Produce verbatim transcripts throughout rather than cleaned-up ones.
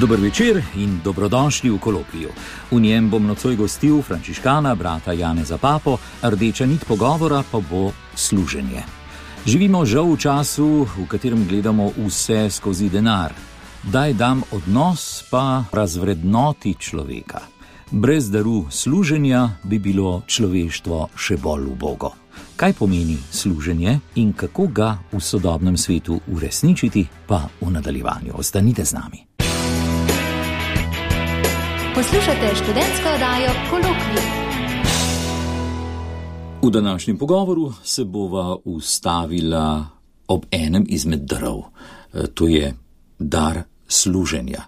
Dober večer in dobrodošli v Kolokviju. V njem bom nocoj gostil frančiškana brata Janeza Papo, rdeča nit pogovora pa bo služenje. Živimo žal v času, v katerem gledamo vse skozi denar. Daj dam odnos pa razvrednoti človeka. Brez daru služenja bi bilo človeštvo še bolj ubogo. Kaj pomeni služenje in kako ga v sodobnem svetu uresničiti, pa v nadaljevanju. Ostanite z nami. Poslušate študentsko oddajo Kolokvij. V današnjem pogovoru se bova ustavila ob enem izmed darov. To je dar služenja.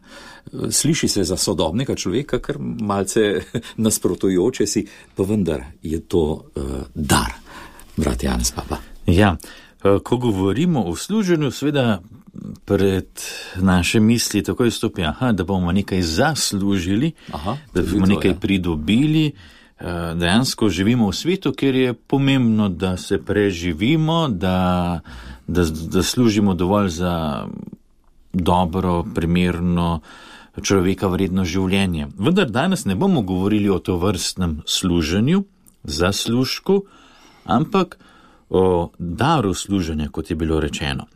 Sliši se za sodobnega človeka kar malce nasprotujoče si, pa vendar je to uh, dar. Brat Janez Papa. Ja, ko govorimo o služenju, seveda pred naše misli takoj stopi, aha, da bomo nekaj zaslužili, aha, da bomo nekaj ja. pridobili. Dejansko živimo v svetu, kjer je pomembno, da se preživimo, da, da, da služimo dovolj za dobro, primerno, človeka vredno življenje. Vendar danes ne bomo govorili o tovrstnem služenju, zaslužku, ampak o daru služenja, kot je bilo rečeno.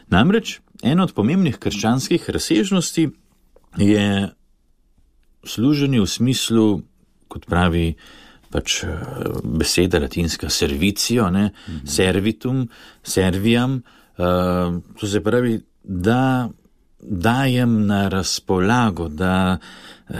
Namreč, ena od pomembnih krščanskih razsežnosti je služenje v smislu, kot pravi pač beseda latinska servicio, ne, mm-hmm. servitum, serviam, uh, to se pravi, da dajem na razpolago, da eh,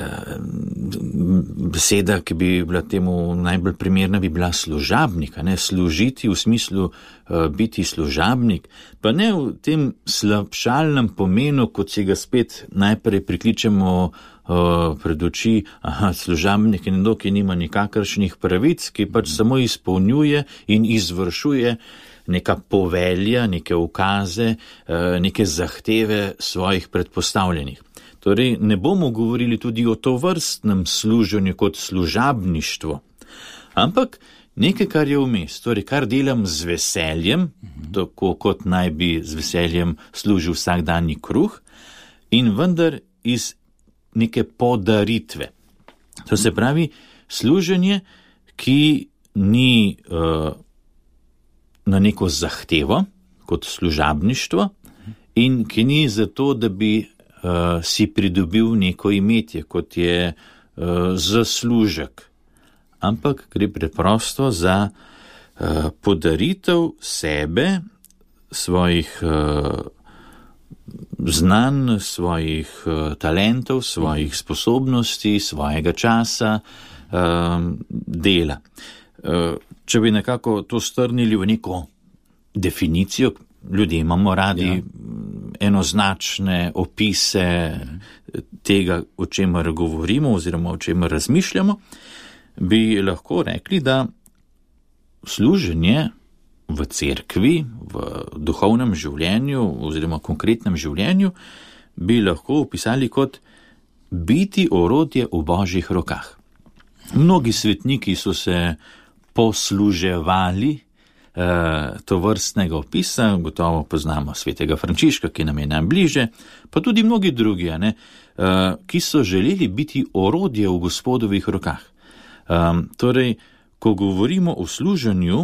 beseda, ki bi bila temu najbolj primerna, bi bila služabnika, ne, služiti v smislu eh, biti služabnik, pa ne v tem slabšalnem pomenu, kot si ga spet najprej prikličemo eh, pred oči, aha, služabnik je nekdo, ki nima nikakršnih pravic, ki pač samo izpolnjuje in izvršuje neka povelja, neke ukaze, neke zahteve svojih predpostavljenih. Torej, ne bomo govorili tudi o tovrstnem služenju kot služabništvo, ampak nekaj, kar je vmes, torej, kar delam z veseljem, tako kot naj bi z veseljem služil vsakdanji kruh, in vendar iz neke podaritve. To se pravi, služenje, ki ni uh, na neko zahtevo, kot služabništvo, in ki ni zato, da bi uh, si pridobil neko imetje, kot je uh, zaslužek, ampak gre preprosto za uh, podaritev sebe, svojih uh, znanj, svojih uh, talentov, svojih sposobnosti, svojega časa, uh, dela. Uh, Če bi nekako to strnili v neko definicijo, ljudje imamo radi ja. enoznačne opise tega, o čemer govorimo oziroma o čemer razmišljamo, bi lahko rekli, da služenje v cerkvi, v duhovnem življenju oziroma konkretnem življenju bi lahko opisali kot biti orodje v Božjih rokah. Mnogi svetniki so se posluževali eh, to vrstnega opisa, gotovo poznamo svetega Frančiška, ki nam je najbliže, pa tudi mnogi drugi, ne, eh, ki so želeli biti orodje v Gospodovih rokah. Eh, torej, ko govorimo o služenju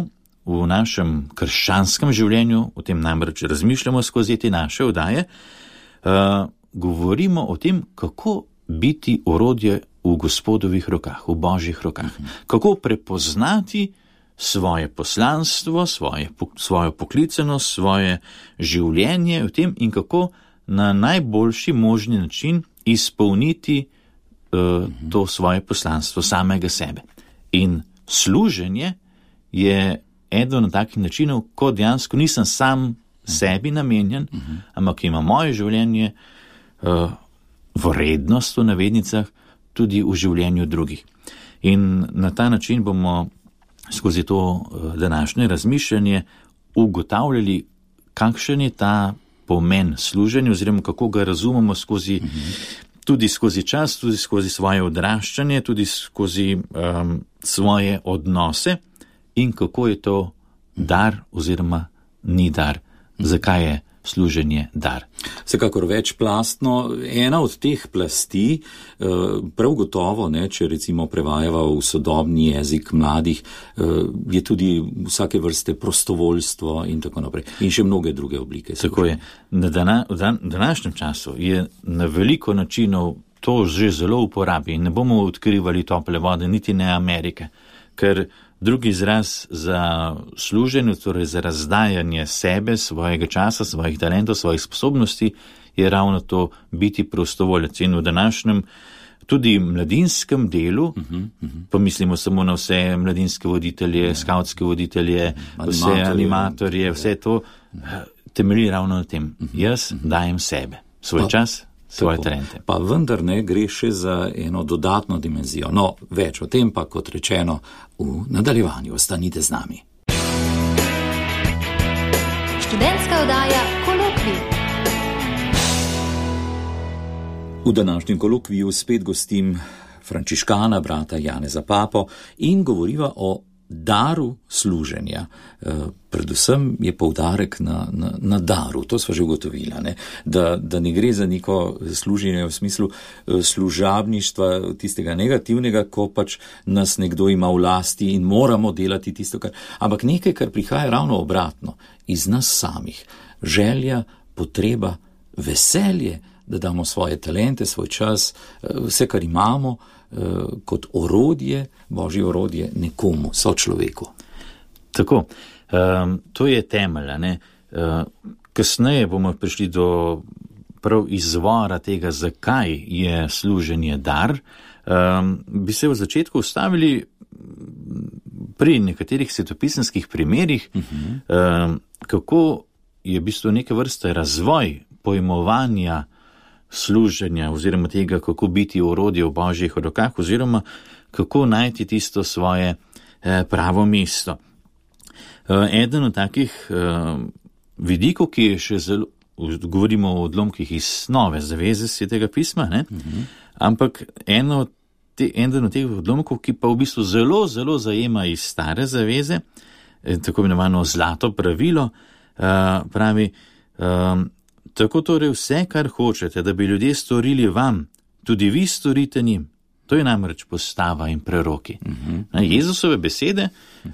v našem krščanskem življenju, o tem namreč razmišljamo skozi te naše oddaje, eh, govorimo o tem, kako biti orodje v Gospodovih rokah, v Božjih rokah. Kako prepoznati svoje poslanstvo, svoje, svojo poklicanost, svoje življenje v tem in kako na najboljši možni način izpolniti uh, to svoje poslanstvo samega sebe. In služenje je eden od takih načinov, ko dejansko nisem sam sebi namenjen, ampak ima moje življenje uh, vrednost v navednicah, tudi v življenju drugih. In na ta način bomo skozi to današnje razmišljanje ugotavljali, kakšen je ta pomen služenja, oziroma kako ga razumemo skozi, mm-hmm. tudi skozi čas, tudi skozi svoje odraščanje, tudi skozi um, svoje odnose in kako je to dar oziroma ni dar. Zakaj je služenje dar? Vsekakor večplastno. Ena od teh plasti, prav gotovo, ne, če recimo prevajava v sodobni jezik mladih, je tudi vsake vrste prostovoljstvo in tako naprej. In še mnoge druge oblike. Tako je. Na dana, v dan, današnjem času je na veliko načinov to že zelo uporabi in ne bomo odkrivali tople vode, niti ne Amerike, ker drugi izraz za služenje, torej za razdajanje sebe, svojega časa, svojih talentov, svojih sposobnosti, je ravno to biti prostovoljec. In v današnjem tudi mladinskem delu, uh-huh, uh-huh. pomislimo samo na vse mladinske voditelje, yeah. skavtske voditelje, animatorje, vse animatorje, vse to temelji ravno na tem. Uh-huh, Jaz uh-huh. dajem sebe, svoj pa, čas, svoje talente. Pa vendar ne gre še za eno dodatno dimenzijo. No, več o tem pa, kot rečeno, v nadaljevanju. Ostanite z nami. Študentska oddaja Kolokvij. V današnjem kolokviju spet gostim frančiškana, brata Janeza Papo, in govoriva o daru služenja. E, predvsem je poudarek na, na, na daru, to sva že ugotovila, ne? Da, da ne gre za neko služenje v smislu služabništva, tistega negativnega, ko pač nas nekdo ima v lasti in moramo delati tisto, kar, ampak nekaj, kar prihaja ravno obratno, iz nas samih. Želja, potreba, veselje, da damo svoje talente, svoj čas, vse, kar imamo, kot orodje, božje orodje nekomu, sočloveku. Tako, um, to je temelj, ne? Uh, kasneje bomo prišli do prav izvora tega, zakaj je služenje dar. Um, bi se v začetku ustavili pri nekaterih svetopisemskih primerih, uh-huh. um, kako je v bistvu neke vrste razvoj pojmovanja služenja oziroma tega, kako biti orodje v božjih rokah oziroma kako najti tisto svoje eh, pravo mesto. Eh, eden od takih eh, vidikov, ki je še zelo, govorimo o odlomkih iz Nove zaveze Svetega pisma, ne? Uh-huh. Ampak eno te, eden od teh odlomkov, ki pa v bistvu zelo, zelo zajema iz Stare zaveze, eh, tako imenovano zlato pravilo, eh, pravi, eh, tako torej vse, kar hočete, da bi ljudje storili vam, tudi vi storite njim. To je namreč postava in preroki. Uh-huh. Jezusove besede, uh,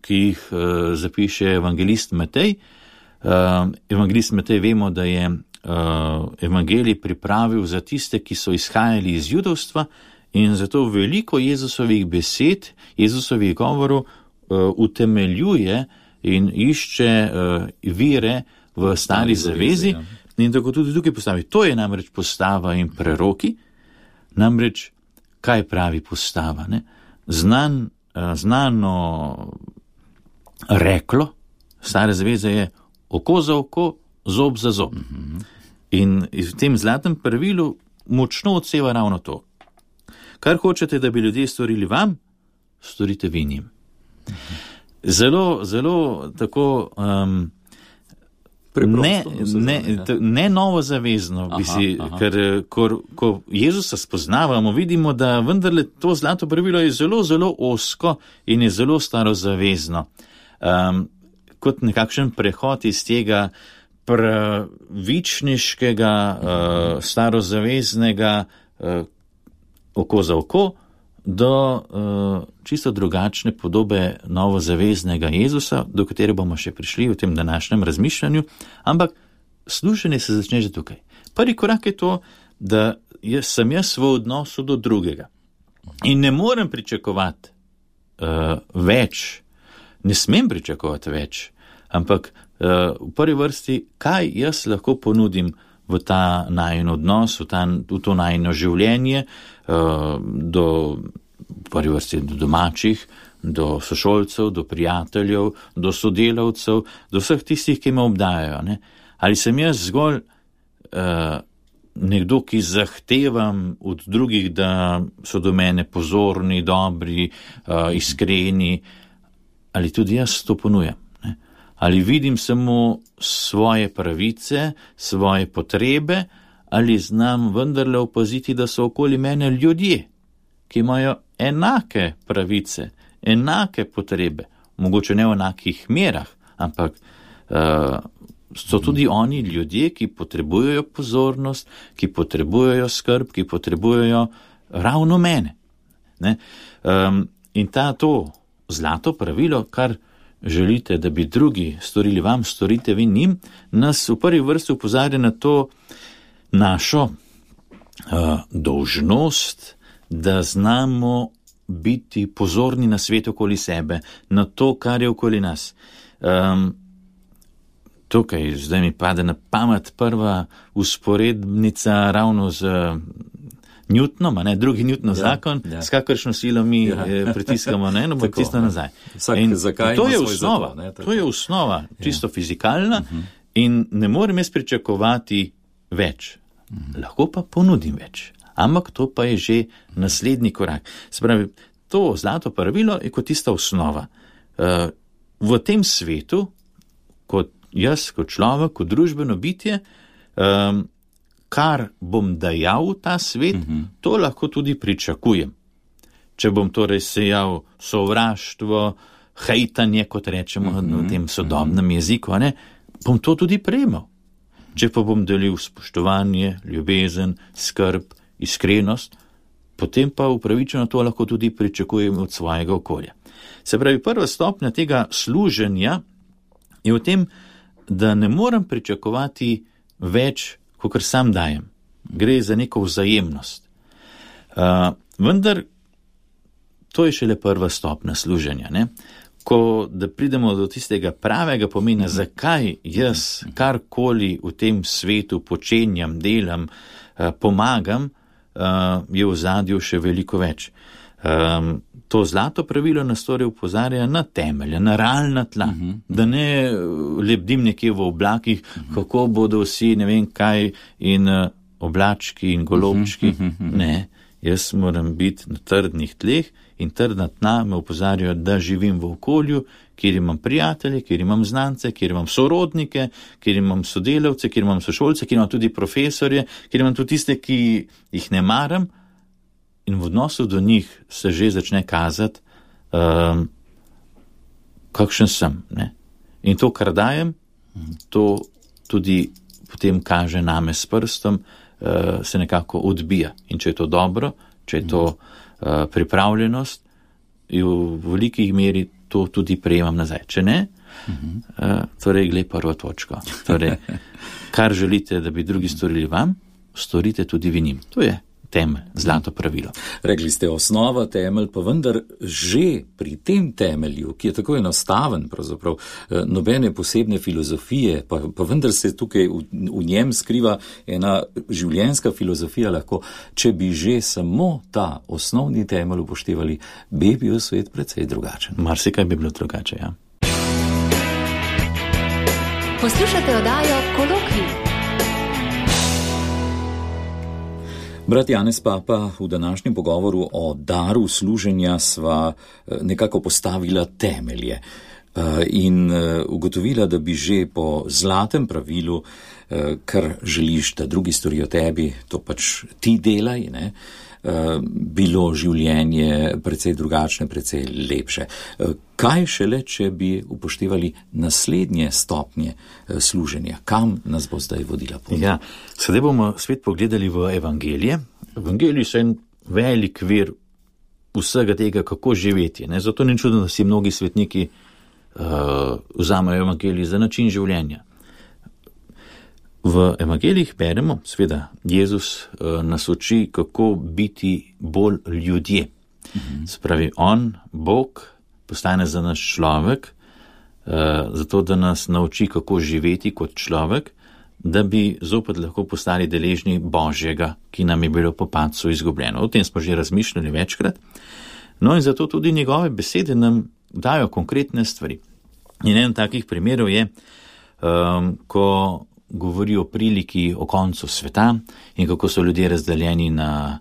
ki jih uh, zapiše evangelist Matej. Uh, evangelist Matej vemo, da je uh, evangelij pripravil za tiste, ki so izhajali iz judovstva, in zato veliko Jezusovih besed, Jezusovih govorov uh, utemeljuje in išče uh, vire v stari zavezi, ja. In tako tudi tukaj postavi. To je namreč postava in preroki, namreč kaj pravi postava, ne? Znan, znano reklo stare zaveze je oko za oko, zob za zob. Mm-hmm. In v tem zlatem pravilu močno odseva ravno to. Kar hočete, da bi ljudje storili vam, storite vi njim. Mm-hmm. Zelo, zelo tako um, Ne, ne, ne novo zavezno, aha, bi si, aha. Ker ko, ko Jezusa spoznavamo, vidimo, da vendarle to zlato pravilo je zelo, zelo osko in je zelo starozavezno. Um, kot nekakšen prehod iz tega pravičniškega, uh, starozaveznega uh, oko za oko do uh, čisto drugačne podobe novozaveznega Jezusa, do katere bomo še prišli v tem današnjem razmišljanju, ampak služenje se začne že tukaj. Prvi korak je to, da jaz, sem jaz v odnosu do drugega in ne morem pričakovati uh, več, ne smem pričakovati več, ampak uh, v prvi vrsti, kaj jaz lahko ponudim v ta najin odnos, v, ta, v to najino življenje, uh, do, v prvi vrsti do domačih, do sošolcev, do prijateljev, do sodelavcev, do vseh tistih, ki me obdajajo. Ne? Ali sem jaz zgolj uh, nekdo, ki zahtevam od drugih, da so do mene pozorni, dobri, uh, iskreni, ali tudi jaz to ponujam? Ne? Ali vidim samo svoje pravice, svoje potrebe, ali znam vendarle opaziti, da so okoli mene ljudje, ki imajo enake pravice, enake potrebe, mogoče ne v enakih merah, ampak uh, so tudi oni ljudje, ki potrebujejo pozornost, ki potrebujejo skrb, ki potrebujejo ravno mene. Ne? Um, in ta to zlato pravilo, kar želite, da bi drugi storili vam, storite vi njim, nas v prvi vrsti upozarja na to našo uh, dolžnost, da znamo biti pozorni na svet okoli sebe, na to, kar je okoli nas. Um, tukaj zdaj mi pade na pamet prva usporednica ravno z Newtonom, a ne, drugi Newtonov ja, zakon, ja. S kakršno silo mi ja. pritiskamo na eno, bo tisto nazaj. Vsak, in to je osnova, zato, ne, to je osnova, čisto ja. fizikalna uh-huh. in ne morem jaz pričakovati več. Uh-huh. Lahko pa ponudim več, ampak to pa je že naslednji korak. Se pravi, to zlato pravilo je kot tista osnova. Uh, v tem svetu, kot jaz, kot človek, kot družbeno bitje, um, kar bom dajal v ta svet, uh-huh. to lahko tudi pričakujem. Če bom torej sejal sovraštvo, hejtanje, kot rečemo uh-huh. v tem sodobnem uh-huh. jeziku, ne, bom to tudi prejemal. Če pa bom delil spoštovanje, ljubezen, skrb, iskrenost, potem pa upravičeno to lahko tudi pričakujem od svojega okolja. Se pravi, prva stopnja tega služenja je v tem, da ne morem pričakovati več, kakor sam dajem. Gre za neko vzajemnost. Uh, vendar to je šele prva stopnja služenja. Ne? Ko da pridemo do tistega pravega pomena, zakaj jaz karkoli v tem svetu počenjam, delam, uh, pomagam, uh, je v zadju še veliko več. Um, to zlato pravilo nas torej upozarja na temelje, na realna tla, uh-huh. da ne lebdim nekje v oblakih, uh-huh. kako bodo vsi ne vem kaj in uh, oblački in golobčki. Uh-huh, uh-huh. Ne, jaz moram biti na trdnih tleh in trdna tla me upozarjajo, da živim v okolju, kjer imam prijatelje, kjer imam znance, kjer imam sorodnike, kjer imam sodelavce, kjer imam sošolce, kjer imam tudi profesorje, kjer imam tudi tiste, ki jih ne maram. In v odnosu do njih se že začne kazati, um, kakšen sem. Ne? In to, kar dajem, to tudi potem kaže name s prstom, uh, se nekako odbija. In če je to dobro, če je to uh, pripravljenost, v velikih meri to tudi prejemam nazaj. Če ne, uh, torej glej prvo točko. Torej, kar želite, da bi drugi storili vam, storite tudi vi njim. To je temelj, zlato pravilo. Rekli ste osnova, temelj, pa vendar že pri tem temelju, ki je tako enostaven, pravzaprav nobene posebne filozofije, pa, pa vendar se tukaj v, v njem skriva ena življenjska filozofija lahko, če bi že samo ta osnovni temelj upoštevali, bi bil svet precej drugačen. Marsikaj bi bilo drugače, ja. Poslušate oddajo Kolokvij. Brat Janez Papa, v današnjem pogovoru o daru služenja sva nekako postavila temelje in ugotovila, da bi že po zlatem pravilu, kar želiš, da drugi storijo tebi, to pač ti delaj, ne, bilo življenje precej drugačne, precej lepše. Kaj šele, če bi upoštevali naslednje stopnje služenja? Kam nas bo zdaj vodila pot? Ja, sedaj bomo spet pogledali v evangelije. Evangeliji so en velik vir vsega tega, kako živeti. Ne? Zato ni čudno, da si mnogi svetniki uh, vzamejo evangelij za način življenja. V evangelijih beremo, seveda, Jezus uh, nas uči, kako biti bolj ljudje. Mhm. Se pravi, on, Bog, postane za nas človek, uh, zato da nas nauči, kako živeti kot človek, da bi zopet lahko postali deležni Božjega, ki nam je bilo po padcu izgubljeno. O tem smo že razmišljali večkrat. No in zato tudi njegove besede nam dajo konkretne stvari. In en takih primerov je, um, ko govori o priliki o koncu sveta in kako so ljudje razdeljeni na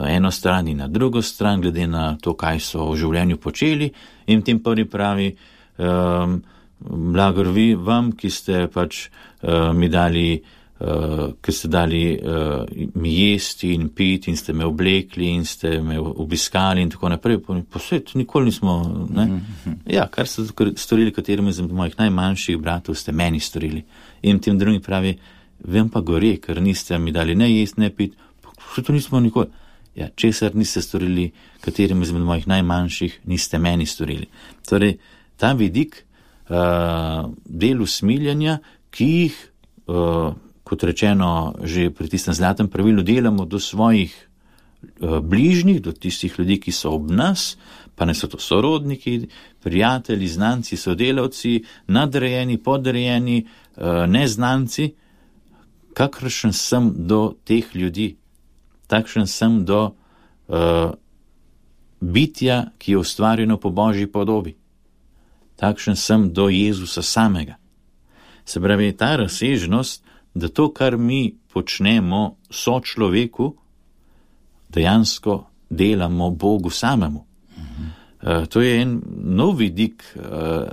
eno stran in na drugo stran, glede na to, kaj so v življenju počeli. In v tem prvi pravi, um, blagor vi vam, ki ste pač uh, mi dali uh, ker ste dali uh, mi jesti in piti in ste me oblekli in ste me obiskali in tako naprej. Posvet, nikoli nismo, ne? Mm-hmm. Ja, kar ste storili katerim izmed mojih najmanjših bratov, ste meni storili. In tem drugim pravi, vem pa gore, ker niste mi dali ne jesti, ne piti, posvet, to nismo nikoli. Ja, česar niste storili katerim izmed mojih najmanjših, niste meni storili. Torej, ta vidik uh, del usmiljanja, ki jih uh, kot rečeno, že pri tistem zlatem pravilu delamo do svojih uh, bližnjih, do tistih ljudi, ki so ob nas, pa ne so to sorodniki, prijatelji, znanci, sodelavci, nadrejeni, podrejeni, uh, neznanci, kakršen sem do teh ljudi, takšen sem do uh, bitja, ki je ustvarjeno po Božji podobi, takšen sem do Jezusa samega. Se pravi, ta razsežnost, da to, kar mi počnemo sočloveku, dejansko delamo Bogu samemu. Mhm. Uh, to je en nov vidik uh,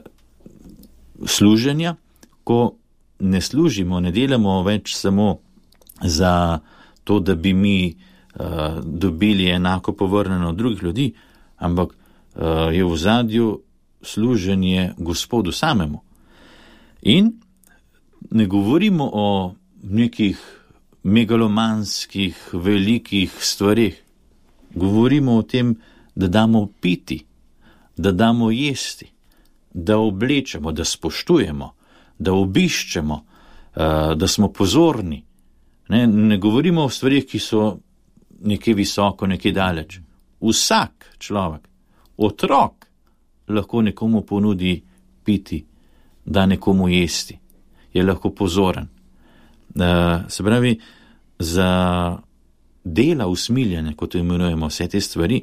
služenja, ko ne služimo, ne delamo več samo za to, da bi mi uh, dobili enako povrnjeno od drugih ljudi, ampak uh, je v zadju služenje Gospodu samemu. In ne govorimo o nekih megalomanskih, velikih stvarih. Govorimo o tem, da damo piti, da damo jesti, da oblečemo, da spoštujemo, da obiščemo, da smo pozorni. Ne, ne govorimo o stvarih, ki so nekje visoko, nekje daleč. Vsak človek, otrok, lahko nekomu ponudi piti, da nekomu jesti. Je lahko pozoren. Uh, se pravi, za dela usmiljanja, kot imenujemo vse te stvari,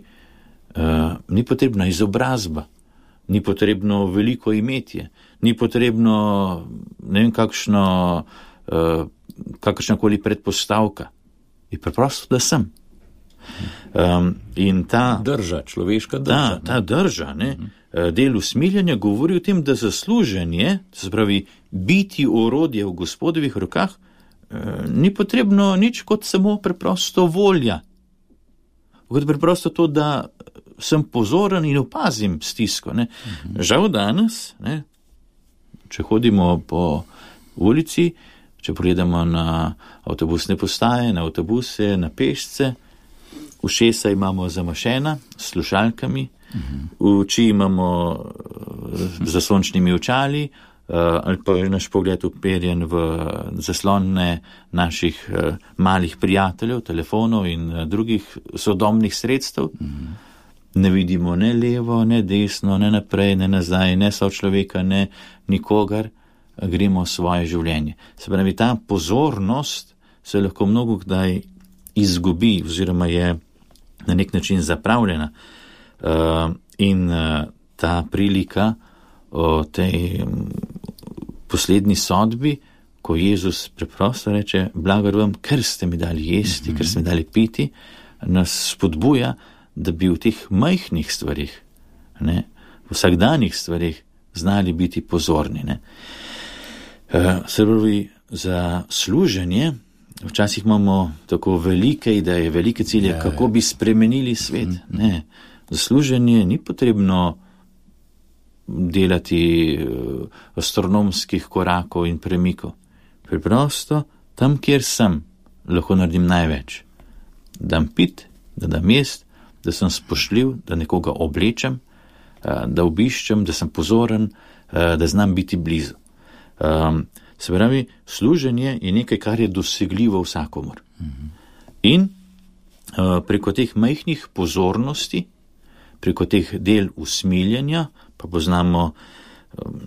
uh, ni potrebna izobrazba, ni potrebno veliko imetje, ni potrebno ne vem kakšno, uh, kakršnakoli predpostavka. Je preprosto, da sem. Um, in ta drža, človeška drža. Ta, ta drža, ne, uh-huh. del usmiljanja govori o tem, da zasluženje, se pravi, biti orodje v Gospodovih rokah, ni potrebno nič kot samo preprosto volja. Kot preprosto to, da sem pozoren in opazim stisko. Ne. Uh-huh. Žal danes, ne, če hodimo po ulici, če pogledamo na avtobusne postaje, na avtobuse, na pešce, ušesa imamo zamašena s slušalkami, uh-huh. oči imamo z sončnimi očali, ali pa je naš pogled uperjen v zaslone naših malih prijateljev, telefonov in drugih sodobnih sredstev. Mm-hmm. Ne vidimo ne levo, ne desno, ne naprej, ne nazaj, ne sočloveka, ne nikogar, gremo svoje življenje. Se pravi, ta pozornost se lahko mnogo kdaj izgubi oziroma je na nek način zapravljena. Uh, in uh, ta prilika o tej poslednji sodbi, ko Jezus preprosto reče, blagor vam, ker ste mi dali jesti, mm-hmm. ker ste mi dali piti, nas spodbuja, da bi v teh majhnih stvarih, ne, v vsakdanjih stvarih znali biti pozorni. Ne. Uh, se pravi, za služenje, včasih imamo tako velike ideje, velike cilje, yeah. kako bi spremenili svet. Mm-hmm. Ne. Za služenje ni potrebno delati astronomskih korakov in premikov. Preprosto, tam, kjer sem, lahko naredim največ. Dam pit, da dam jest, da sem spoštljiv, da nekoga oblečem, da obiščem, da sem pozoren, da znam biti blizu. Se pravi, služenje je nekaj, kar je dosegljivo vsakomur. In preko teh majhnih pozornosti, preko teh del usmiljenja, pa poznamo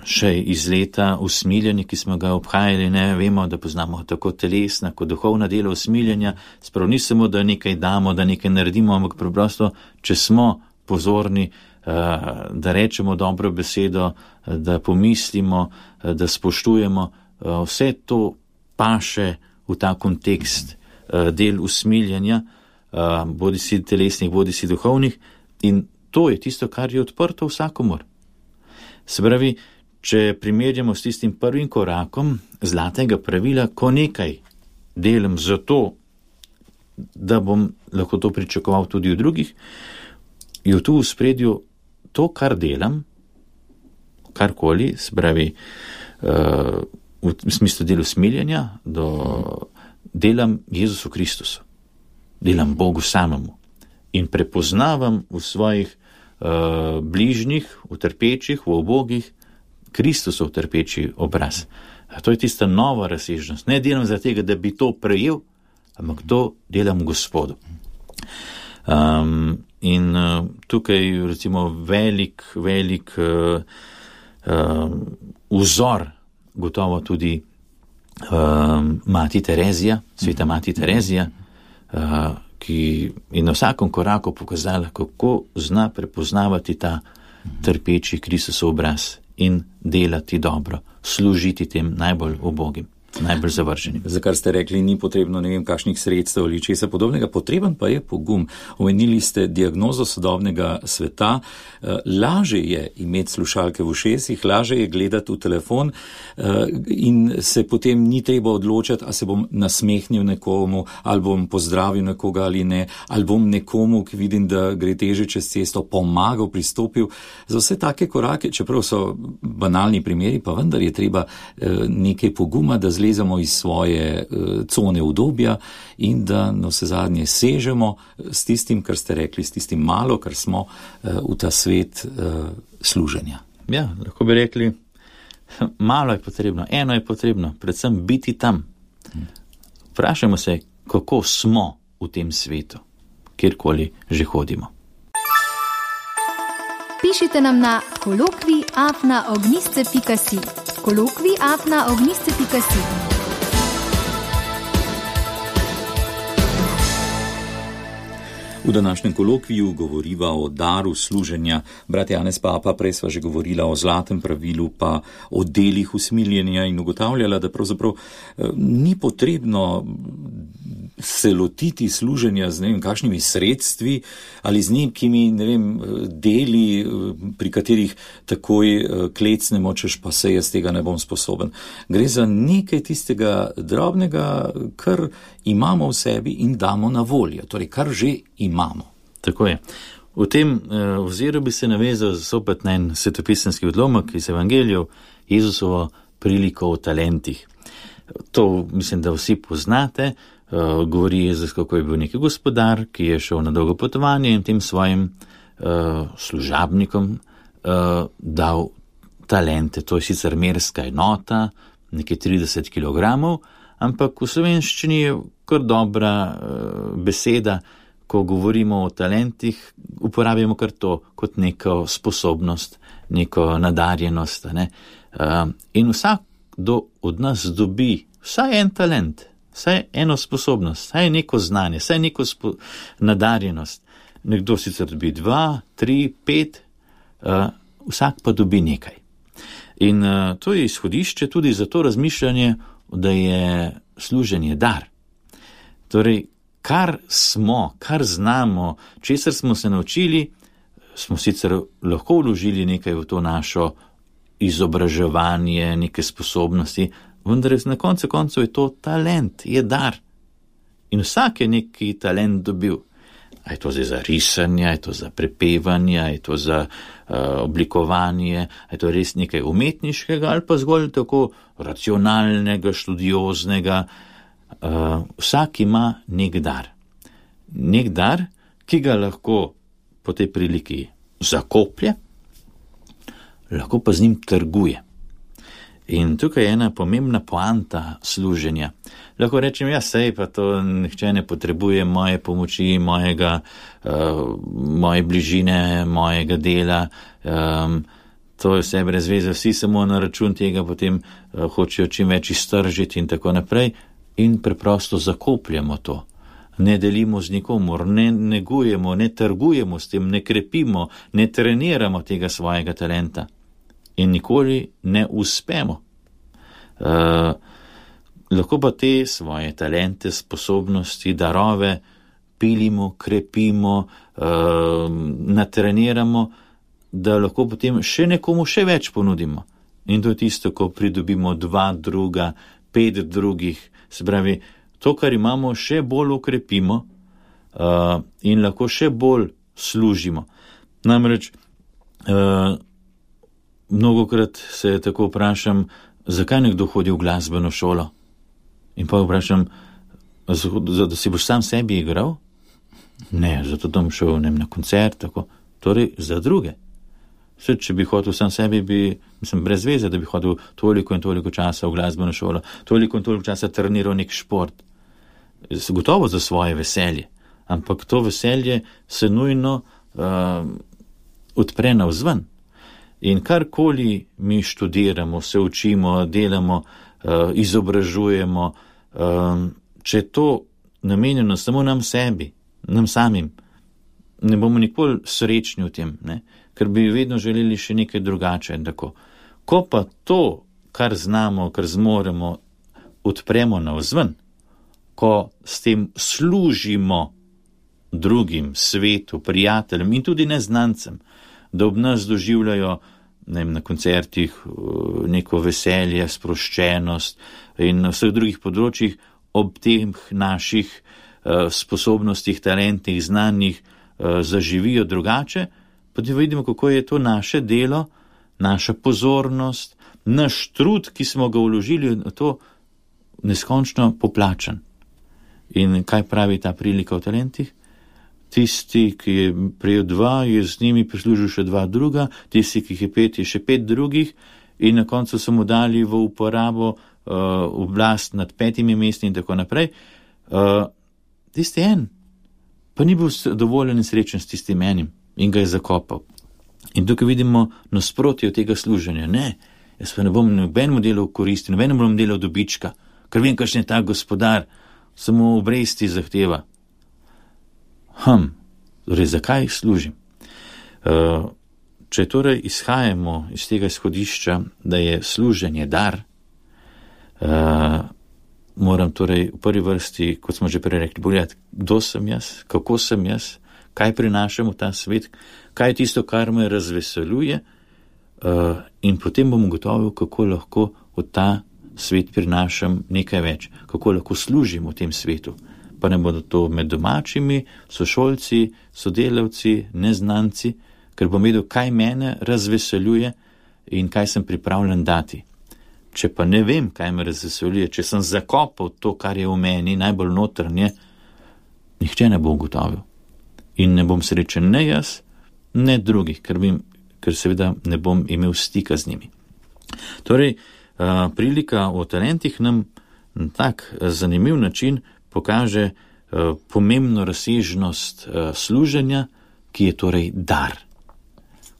še iz leta usmiljanje, ki smo ga obhajali, ne vemo, da poznamo tako telesna kot duhovna dela usmiljenja, sprav ni samo, da nekaj damo, da nekaj naredimo, ampak preprosto, če smo pozorni, da rečemo dobro besedo, da pomislimo, da spoštujemo, vse to paše v ta kontekst del usmiljenja, bodi si telesnih, bodi si duhovnih, in to je tisto, kar je odprto vsakomur. Se pravi, če primerjamo s tistim prvim korakom zlatega pravila, ko nekaj delam zato, da bom lahko to pričakoval tudi od drugih, je tu v spredju to, kar delam, karkoli, se pravi, uh, v smislu delu smiljenja, do, delam Jezusu Kristusu, delam Bogu samemu in prepoznavam v svojih uh, bližnjih, v trpečih, v ubogih, Kristusov trpeči obraz. A to je tista nova razsežnost. Ne delam za tega, da bi to prejel, ampak to delam Gospodu. Um, in uh, tukaj recimo velik, velik uh, uh, vzor, gotovo tudi uh, Mati Terezija, sveta Mati Terezija, uh, ki je na vsakem koraku pokazala, kako zna prepoznavati ta trpeči Kristusov obraz in delati dobro, služiti tem najbolj ubogim, najbolj zavrženim. Za kar ste rekli, ni potrebno ne vem kakšnih sredstev ali česa podobnega, potreben pa je pogum. Omenili ste diagnozo sodobnega sveta. Laže je imeti slušalke v ušesih, laže je gledati v telefon in se potem ni treba odločati, a se bom nasmehnil nekomu, ali bom pozdravil nekoga ali ne, ali bom nekomu, ki vidim, da gre teže čez cesto, pomagal, pristopil. Za vse take korake, čeprav so banalni primeri, pa vendar je treba nekaj poguma, da zlezemo iz svoje uh, cone udobja in da na vse zadnje sežemo s tistim, kar ste rekli, s tistim malo, kar smo uh, v ta svet uh, služenja. Ja, lahko bi rekli, malo je potrebno, eno je potrebno, predvsem biti tam. Vprašajmo se, kako smo v tem svetu, kjerkoli že hodimo. Pišite nam na kolokvij afna ognjišče pika si. kolokvij afna ognjišče pika si. V današnjem kolokviju govoriva o daru služenja. Brat Janez Papa, prej sva že govorila o zlatem pravilu, pa o delih usmiljenja in ugotavljala, da pravzaprav eh, ni potrebno se lotiti služenja z ne vem kakšnimi sredstvi ali z nekimi ne vem deli, pri katerih takoj klecnemo, češ pa se jaz tega ne bom sposoben. Gre za nekaj tistega drobnega, kar imamo v sebi in damo na voljo, torej kar že imamo. Tako je. V tem oziru bi se navezal zopet na en svetopisemski odlomek iz Evangelijev, Jezusovo priliko o talentih. To mislim, da vsi poznate. Uh, govori Jezus, kako je bil neki gospodar, ki je šel na dolgo potovanje in tem svojim uh, služabnikom uh, dal talente. To je sicer merska enota, nekaj trideset kilogramov, ampak v slovenščini je kar dobra uh, beseda, ko govorimo o talentih, uporabimo kar to kot neko sposobnost, neko nadarjenost. Ne? Uh, in vsakdo od nas dobi vsaj en talent, vsaj eno sposobnost, vsaj neko znanje, vsaj neko spo- nadarjenost. Nekdo sicer dobi dva, tri, pet, uh, vsak pa dobi nekaj. In uh, to je izhodišče tudi za to razmišljanje, da je služenje dar. Torej, kar smo, kar znamo, česar smo se naučili, smo sicer lahko vložili nekaj v to našo izobraževanje, neke sposobnosti, vendar na koncu koncev je to talent, je dar. In vsak je neki talent dobil. A je to zdaj za risanje, a je to za prepevanje, a je to za uh, oblikovanje, a je to res nekaj umetniškega ali pa zgolj tako racionalnega, študioznega. Uh, vsak ima nek dar. Nek dar, ki ga lahko po tej priliki zakoplje, lahko pa z njim trguje. In tukaj je ena pomembna poanta služenja. Lahko rečem, ja, sej pa to nihče ne potrebuje moje pomoči, mojega, uh, moje bližine, mojega dela. Um, to je vse brez veze, vsi samo na račun tega potem uh, hočejo čim več iztržiti in tako naprej. In preprosto zakopljamo to. Ne delimo z nikomor, ne negujemo, ne trgujemo s tem, ne krepimo, ne treniramo tega svojega talenta. In nikoli ne uspemo. Uh, lahko pa te svoje talente, sposobnosti, darove pilimo, krepimo, uh, natreniramo, da lahko potem še nekomu še več ponudimo. In to je tisto, ko pridobimo dva druga, pet drugih, se pravi, to, kar imamo, še bolj ukrepimo uh, in lahko še bolj služimo. Namreč, uh, mnogokrat se tako vprašam, zakaj nekdo hodi v glasbeno šolo? In pa vprašam, zato si boš sam sebi igral? Ne, zato bom šel ne, na koncert, tako. Torej, za druge. Vse, če bi hodil sam sebi, bi, mislim, brez veze, da bi hodil toliko in toliko časa v glasbeno šolo, toliko in toliko časa treniral nek šport. Gotovo za svoje veselje, ampak to veselje se nujno uh, odpre navzven. In karkoli mi študiramo, se učimo, delamo, uh, izobražujemo, um, če je to namenjeno samo nam sebi, nam samim, ne bomo nikoli srečni v tem, ne? Ker bi vedno želeli še nekaj drugače. Tako. Ko pa to, kar znamo, kar zmoremo, odpremo navzven, ko s tem služimo drugim, svetu, prijateljem in tudi neznancem, da ob nas doživljajo ne vem, na koncertih neko veselje, sproščenost in na vseh drugih področjih ob teh naših uh, sposobnostih, talentih, znanjih uh, zaživijo drugače, potem vidimo, kako je to naše delo, naša pozornost, naš trud, ki smo ga vložili v to, neskončno poplačan. In kaj pravi ta prilika v talentih? Tisti, ki je prejel dva, je z njimi prislužil še dva druga, tisti, ki jih je pet, je še pet drugih in na koncu so mu dali v uporabo uh, oblast nad petimi mesti in tako naprej. Uh, tisti en, pa ni bil dovoljen in srečen s tistim enim in ga je zakopal. In tukaj vidimo nasprotje tega služenja. Ne, jaz pa ne bom nobenemu delal koristi, nobenemu bom delal dobička, ker vem, kakšen je ta gospodar, samo obresti zahteva. Hm, torej, zakaj služim? Uh, če torej izhajamo iz tega izhodišča, da je služenje dar, uh, moram torej v prvi vrsti, kot smo že prej rekli, pogledati, kdo sem jaz, kako sem jaz, kaj prinašam v ta svet, kaj je tisto, kar me razveseljuje, uh, in potem bom ugotovil, kako lahko v ta svet prinašam nekaj več, kako lahko služim v tem svetu. Pa ne bodo to med domačimi, sošolci, sodelavci, neznanci, ker bom vedel, kaj mene razveseljuje in kaj sem pripravljen dati. Če pa ne vem, kaj me razveseljuje, če sem zakopal to, kar je v meni, najbolj notranje, nihče ne bo ugotovil. In ne bom srečen ne jaz, ne drugih, ker, bim, ker seveda ne bom imel stika z njimi. Torej, uh, prilika o talentih nam na tak zanimiv način pokaže uh, pomembno razsežnost uh, služenja, ki je torej dar.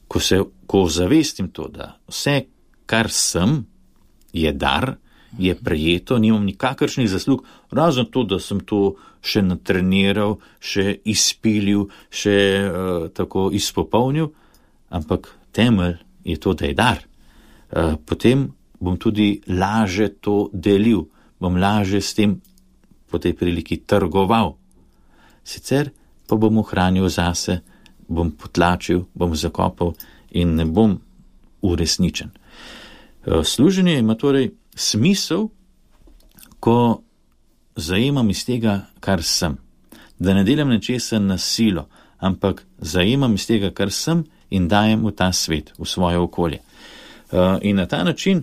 Ko se, ko zavestim to, da vse, kar sem, je dar, je prejeto, nimam nikakršnih zaslug, razen to, da sem to še natreniral, še izpilil, še uh, tako izpopolnil, ampak temelj je to, da je dar. Uh, potem bom tudi laže to delil, bom laže s tem po tej priliki trgoval. Sicer pa bom ohranil zase, bom potlačil, bom zakopal in ne bom uresničen. Služenje ima torej smisel, ko zajemam iz tega, kar sem. Da ne delam nečesa na silo, ampak zajemam iz tega, kar sem in dajem v ta svet, v svoje okolje. In na ta način,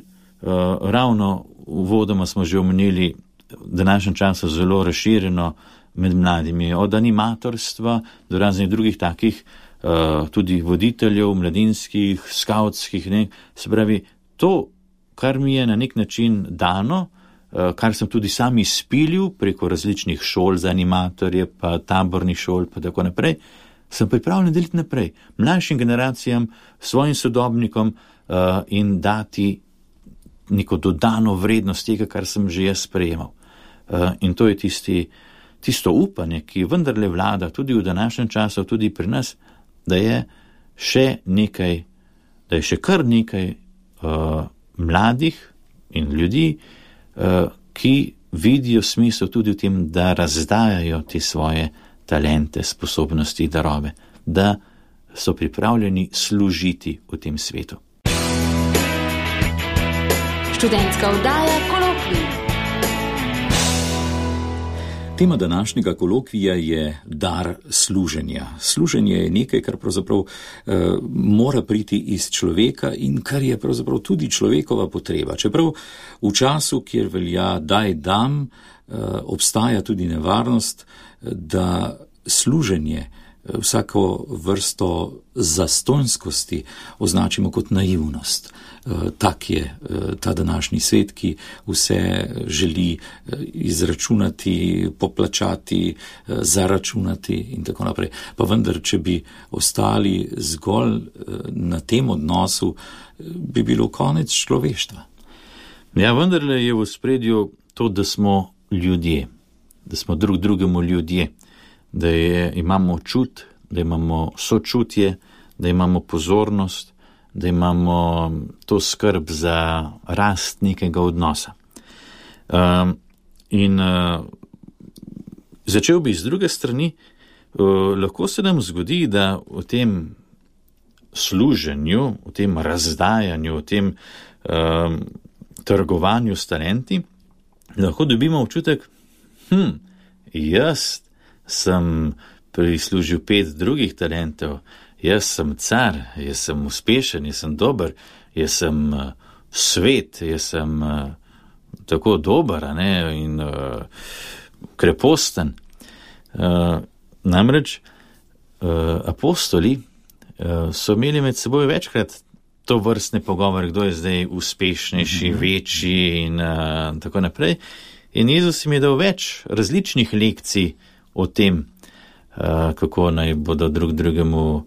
ravno uvodoma smo že omenili, v današnjem času zelo razširjeno med mladimi, od animatorstva do raznih drugih takih, uh, tudi voditeljev, mladinskih, skautskih, ne, se pravi, to, kar mi je na nek način dano, uh, kar sem tudi sam izpilil preko različnih šol za animatorje, pa tabornih šol, pa tako naprej, sem pripravljen deliti naprej, mlajšim generacijam, svojim sodobnikom uh, in dati neko dodano vrednost tega, kar sem že jaz sprejemal. Uh, in to je tisti, tisto upanje, ki vendarle vlada tudi v današnjem času, tudi pri nas, da je še nekaj, da je še kar nekaj uh, mladih in ljudi, uh, ki vidijo smisel tudi v tem, da razdajajo te svoje talente, sposobnosti, darove, da so pripravljeni služiti v tem svetu. Študentska oddaja Kolokvij. Tema današnjega kolokvija je dar služenja. Služenje je nekaj, kar pravzaprav eh, mora priti iz človeka in kar je pravzaprav tudi človekova potreba. Čeprav v času, kjer velja daj dam, eh, obstaja tudi nevarnost, da služenje, vsako vrsto zastonjskosti označimo kot naivnost. Tak je ta današnji svet, ki vse želi izračunati, poplačati, zaračunati in tako naprej. Pa vendar, če bi ostali zgolj na tem odnosu, bi bilo konec človeštva. Ja, vendarle je v ospredju to, da smo ljudje, da smo drug drugemu ljudje, da je, imamo čut, da imamo sočutje, da imamo pozornost, da imamo to skrb za rast nekega odnosa. Um, in uh, začel bi z druge strani, uh, lahko se nam zgodi, da v tem služenju, v tem razdajanju, v tem um, trgovanju s talenti, lahko dobimo občutek, hm, jaz sem prislužil pet drugih talentov, jaz sem car, jaz sem uspešen, jaz sem dober, jaz sem uh, svet, jaz sem uh, tako dober, a ne, in uh, kreposten. Uh, namreč uh, apostoli uh, so imeli med seboj večkrat to vrstne pogovore, kdo je zdaj uspešnejši, mm-hmm. večji in uh, tako naprej. In Jezus jim je dal več različnih lekcij o tem, uh, kako naj bodo drug drugemu uh,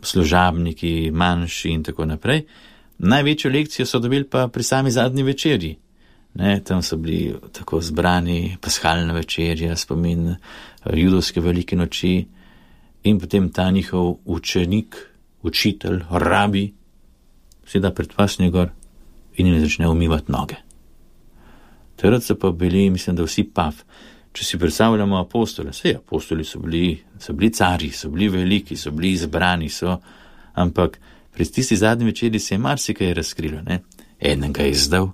služabniki, manjši in tako naprej. Največjo lekcijo so dobili pa pri sami zadnji večerji. Ne, tam so bili tako zbrani paskalna večerja, spomin uh, judovske velike noči in potem ta njihov učenik, učitelj, rabi, seda pred pasnjo gor in jim začne umivati noge. Takrat so pa bili, mislim, da vsi pav. Če si predstavljamo apostole, vse apostoli so bili, so bili cari, so bili veliki, so bili izbrani, so, ampak pred tisti zadnji večeri se je marsikaj razkrilo, ne? Eden ga je izdal,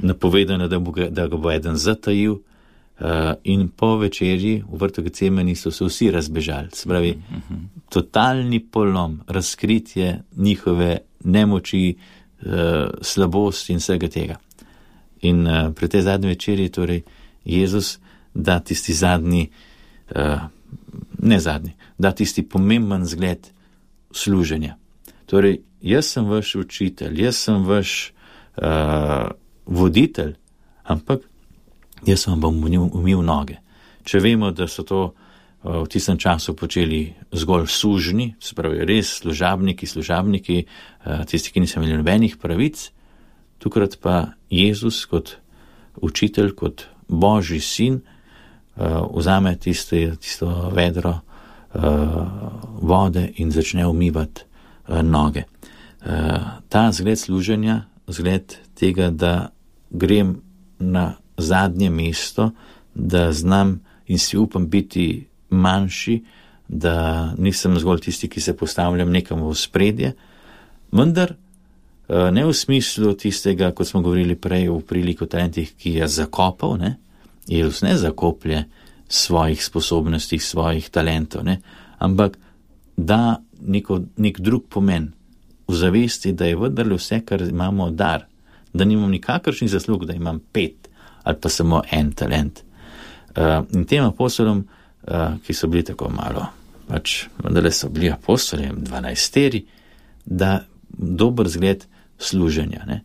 napovedano, da, bo ga, da ga bo eden zatajil, uh, in po večerji v vrtu Getsemani so se vsi razbežali. Se pravi, totalni polom, razkritje njihove nemoči, uh, slabosti in vsega tega. In uh, pri tej zadnji večerji torej Jezus da tisti zadnji, uh, ne zadnji, da tisti pomemben zgled služenja. Torej, jaz sem vaš učitelj, jaz sem vaš uh, voditelj, ampak jaz vam bom umil noge. Če vemo, da so to uh, v tistem času počeli zgolj sužni, se pravi res služabniki, služabniki, uh, tisti, ki niso imeli nobenih pravic, tukrat pa Jezus kot učitelj, kot Božji sin, uh, vzame tisto, tisto vedro uh, vode in začne umivati uh, noge. Uh, ta zgled služenja, zgled tega, da grem na zadnje mesto, da znam in si upam biti manjši, da nisem zgolj tisti, ki se postavljam nekam v spredje, vendar ne v smislu tistega, kot smo govorili prej v priliko talentih, ki je zakopal, ne? Jezus ne zakoplje svojih sposobnosti, svojih talentov, ne? Ampak da neko, nek drug pomen v zavesti, da je vendarle vse, kar imamo, dar, da nimam nikakršnih zaslug, da imam pet ali pa samo en talent. Uh, in tem apostolom, uh, ki so bili tako malo, pač vendarle so bili apostoli, dvanajsteri, da dober zgled služenja, ne?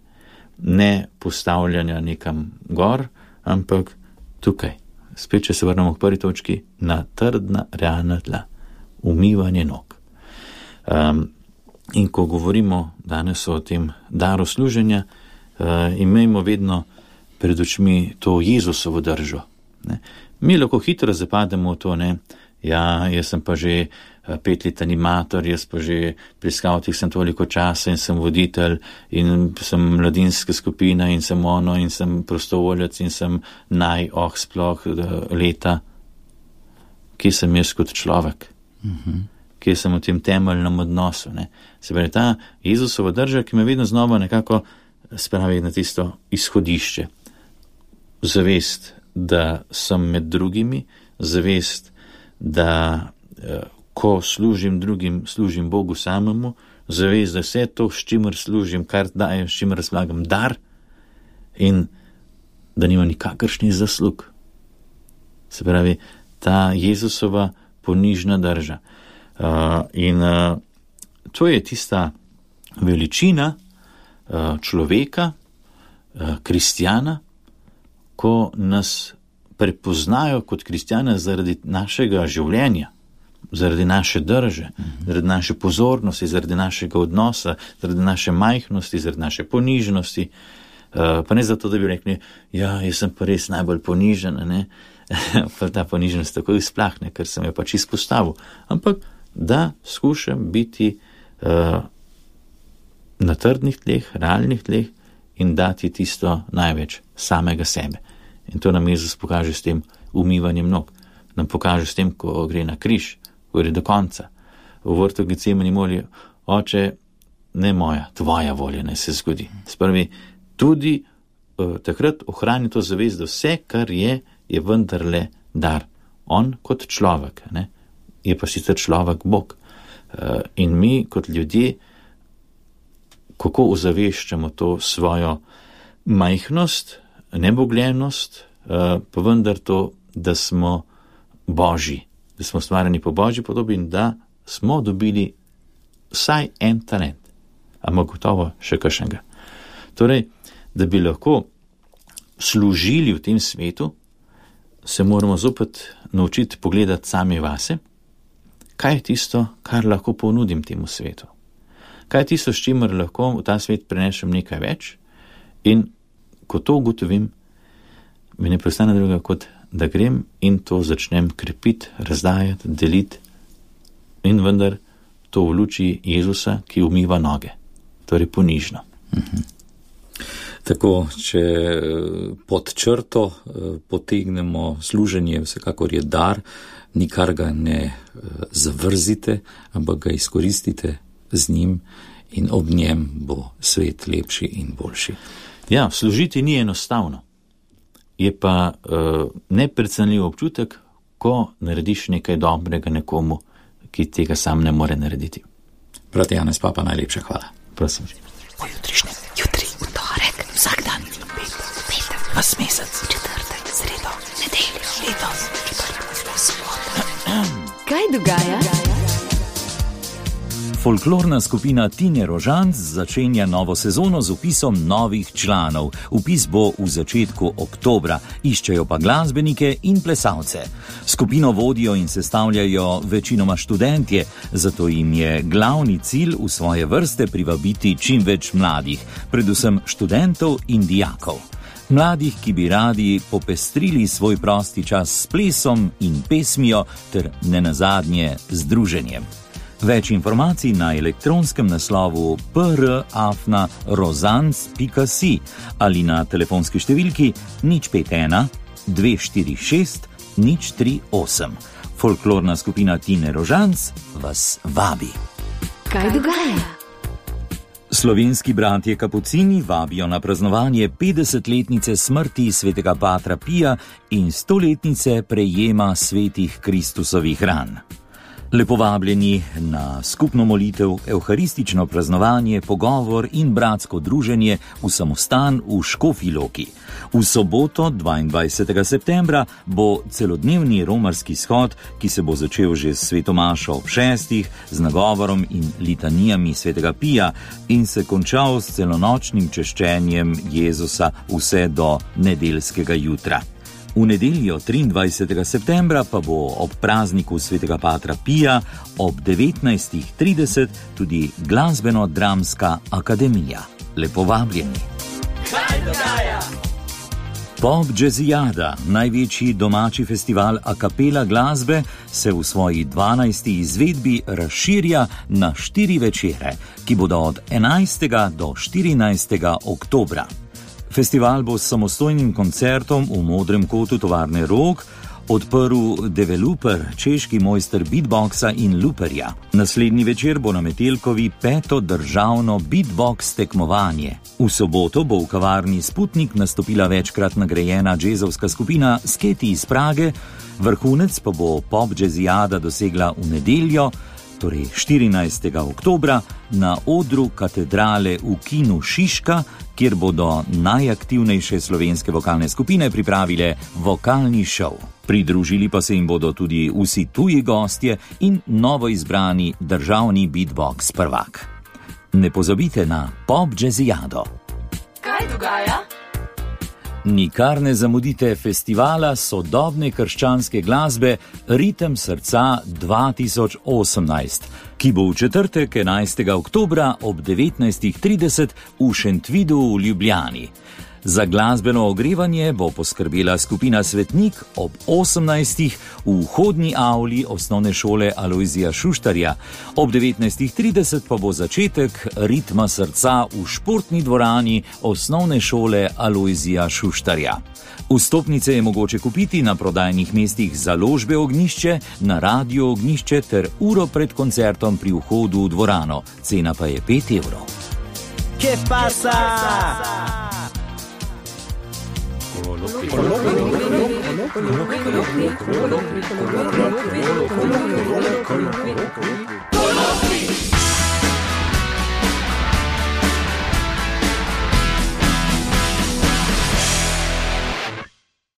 Ne postavljanja nekam gor, ampak tukaj. Spet, če se vrnemo k prvi točki, na trdna, realna tla. Umivanje nog. Um, in ko govorimo danes o tem daru služenja, uh, imejmo vedno pred očmi to Jezusovo držo. Ne? Mi lahko hitro zapademo v to, ne? Ja, jaz sem pa že pet let animator, jaz pa že pri skavtih sem toliko časa in sem voditelj in sem mladinska skupina in sem ono in sem prostovoljec in sem naj, oh, sploh leta. Kje sem jaz kot človek? Mm-hmm. Kje sem v tem temeljnem odnosu? Ne? Se pravi, ta Jezusova drža, ki me vedno znova nekako spravi na tisto izhodišče. Zavest, da sem med drugimi, zavest, da ko služim drugim, služim Bogu samemu, zavest, da vse to, s čimer služim, kar dajem, s čimer razlagam, dar in da nima nikakršnih zaslug. Se pravi, ta Jezusova ponižna drža. Uh, in uh, to je tista veličina uh, človeka, uh, kristjana, ko nas prepoznajo kot kristjana zaradi našega življenja, zaradi naše drže, mm-hmm. zaradi naše pozornosti, zaradi našega odnosa, zaradi naše majhnosti, zaradi naše ponižnosti. Uh, pa ne zato, da bi rekli, ja, jaz sem pa res najbolj ponižen, ne? Pa ta poniženost tako izplahne, ker sem jo pač izpostavil. Ampak da skušam biti uh, na trdnih tleh, realnih tleh in dati tisto največ samega sebe. In to nam Jezus pokaže s tem umivanjem nog. Nam pokaže s tem, ko gre na križ, ko gre do konca. V vrtu Getsemani moli, oče, ne moja, tvoja volja ne se zgodi. Sprvi, tudi uh, takrat ohrani to zavest, da vse, kar je, je vendarle dar. On kot človek, ne? Je pa sicer človek Bog. Uh, in mi kot ljudje, kako ozaveščamo to svojo majhnost, nebogljenost, uh, pa vendar to, da smo Božji, da smo stvarjeni po Božji podobi in da smo dobili vsaj en talent, ama gotovo še kakšnega. Torej, da bi lahko služili v tem svetu, se moramo zopet naučiti pogledati sami vase, kaj je tisto, kar lahko ponudim temu svetu. Kaj je tisto, s čimer lahko v ta svet prenešem nekaj več in ko to ugotovim, mi ne preostane druga, kot da grem in to začnem krepiti, razdajati, deliti in vendar to v luči Jezusa, ki umiva noge, torej ponižno. Mhm. Tako, če pod črto potegnemo služenje, vsekakor je dar, nikar ga ne zavrzite, ampak ga izkoristite z njim in ob njem bo svet lepši in boljši. Ja, služiti ni enostavno. Je pa uh, neprecenljiv občutek, ko narediš nekaj dobrega nekomu, ki tega sam ne more narediti. Brat Janez Papa, najlepša hvala. Prosim. Pojutrišnjem, jutri, v torek, vsak dan, pet, pet, vas mesec, četrtek, sredo, nedeljo, letos, četrtek, sobota. Kaj dogaja? Folklorna skupina Tine Rožanc začenja novo sezono z vpisom novih članov. Vpis bo v začetku oktobra, iščejo pa glasbenike in plesalce. Skupino vodijo in sestavljajo večinoma študentje, zato jim je glavni cilj v svoje vrste privabiti čim več mladih, predvsem študentov in dijakov. Mladih, ki bi radi popestrili svoj prosti čas s plesom in pesmijo ter nenazadnje z druženjem. Več informacij na elektronskem naslovu p r afna rozanc pika si ali na telefonski številki nič pet ena dve štiri šest nič tri osem. Folklorna skupina Tine Rožanc vas vabi. Kaj dogaja? Slovenski bratje kapucini vabijo na praznovanje petdesetletnice smrti svetega patra Pija in stoletnice prejema svetih Kristusovih ran. Lepo vabljeni na skupno molitev, evharistično praznovanje, pogovor in bratsko druženje v samostan v Škofji Loki. V soboto, dvaindvajsetega septembra, bo celodnevni romarski shod, ki se bo začel že s svetomašo ob šestih, z nagovorom in litanijami svetega Pija in se končal s celonočnim češčenjem Jezusa vse do nedeljskega jutra. V nedeljo triindvajsetega septembra pa bo ob prazniku svetega patra Pija ob devetnajstih trideset tudi glasbeno-dramska akademija. Lepo vabljeni. Kaj dogaja? Pop Jazzijada, največji domači festival a capella glasbe, se v svoji dvanajsti izvedbi razširja na štiri večere, ki bodo od enajstega do štirinajstega oktobra. Festival bo s samostojnim koncertom v Modrem kotu tovarne Rog odprl developer, češki mojster beatboxa in looperja. Naslednji večer bo na Metelkovi peto državno beatbox tekmovanje. V soboto bo v kavarni Sputnik nastopila večkrat nagrajena džezovska skupina Sketi iz Prage, vrhunec pa bo pop džezijada dosegla v nedeljo, torej štirinajstega oktobra, na odru Katedrale v kinu Šiška, kjer bodo najaktivnejše slovenske vokalne skupine pripravile vokalni šov. Pridružili pa se jim bodo tudi vsi tuji gostje in novo izbrani državni beatbox prvak. Ne pozabite na pop džezijado. Kaj dogaja? Nikar ne zamudite festivala sodobne krščanske glasbe Ritem srca dva tisoč osemnajst, ki bo v četrtek enajstega oktobra ob devetnajstih trideset v Šentvidu v Ljubljani. Za glasbeno ogrevanje bo poskrbela skupina Svetnik ob osemnajstih v vhodni avli osnovne šole Alojzija Šuštarja. Ob devetnajstih trideset pa bo začetek Ritma srca v športni dvorani osnovne šole Alojzija Šuštarja. Vstopnice je mogoče kupiti na prodajnih mestih Založbe Ognjišče, na Radiu Ognjišče ter uro pred koncertom pri vhodu v dvorano. Cena pa je pet evrov. ¿Qué pasa? Colokvi.